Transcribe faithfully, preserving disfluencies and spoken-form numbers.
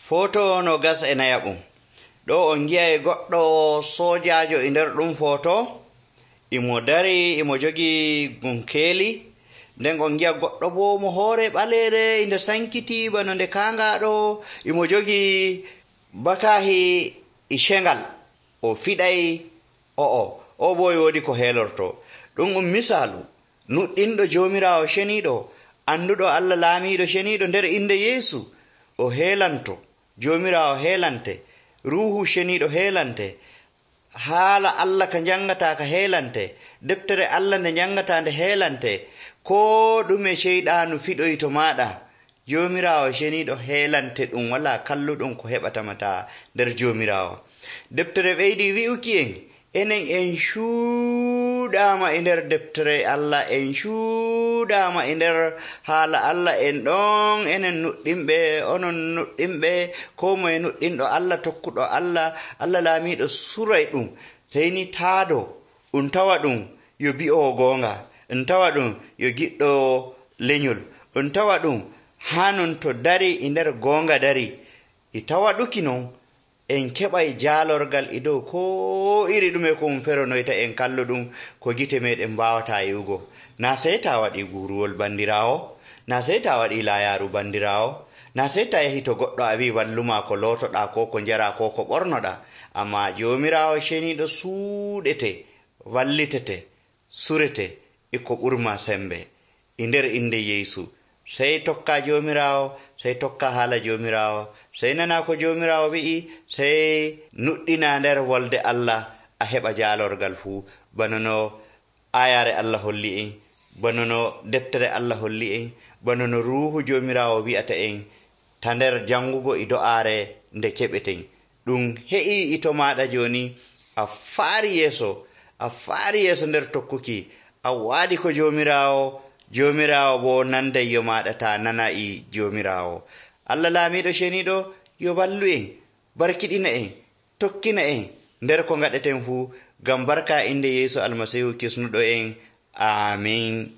Foto no gas e nayaɓum. Ɗo on gi'ay goɗɗo sojajo e nder ɗum foto. Imo dari imo jogi gunkeeli. Nden on gi'a goɗɗo bo mo hoore ɓalere inde sankiti bano nde kangaɗo. Imo jogi bakahi e shengal. O fiɗay o'o. O bo woodi ko heelorto. Ɗum um misalu nuɗɗinɗo Jomirawo ceniɗo, anduɗo Allah laamiɗo ceniɗo nder inde Yeesu. O heelanto. Jomirawo heelante, ruhu ceniɗo heelante, haala Allah ka jangata ka heelante, deftere Allah nde jangata nde heelante, ko ɗume ceyɗanu fiɗoy to maɗa. Jomirawo ceniɗo heelante ɗum wala kalluɗum ko heɓatamata nder Jomirawo. Deftere ɓeydi wi'uki en enen en cuuɗama e nder deftere Allah, en cuuɗama e nder haala Allah, en ɗon enen nuɗɗinɓe, onon nuɗɗinɓe, ko moye nuɗɗinɗo Allah, tokkuɗo Allah, Allah laamiɗo suray ɗum. Seyni taado ɗum tawa ɗum yo bi'owo goonga, ɗum tawa ɗum yo giɗɗo lenyol, ɗum tawa ɗum hanon to dari e nder goonga dari. E tawa ɗuki non en keɓay jaalorgal e dow ko iri ɗume ko um feronoyta en kalluɗum ko gite meɗen mbawata yi'ugo. Na sey ta waɗi guruwol bandirawo, na sey ta waɗi layaru bandirawo, na sey ta yahi to goɗɗo a wi walluma ko lotoɗa ko ko njara ko ko ɓornoɗa. Amma Jomirawo ceniɗo suuɗete, wallitete, surete e ko ɓurma sembe e nder inde Yeesu. Sey tokka Jomirawo, sey tokka haala Jomirawo, sey nana ko Jomirawo wi'i, sey nuɗɗina nder wolde Allah, a heɓa jaalorgal fuu. Bano no ayare Allah holli en, bano no deftere Allah holli en, bano no ruhu Jomirawo wi'ata en ta nder jangugo e do'aare nde keɓeten. Ɗum he'i ito maɗa joni, a faari yeeso, a faari yeeso nder tokkuki, a waadi ko Jomirawo, Jomirawo bo nanday yo maɗa ta nana e Jomirawo. Allah laamiɗo ceniɗo yo ballu en, barkiɗina en, tokkina en nder ko gaɗeten fuu, ngam barka inde Yeesu Almasihu kisnuɗo en. Amin.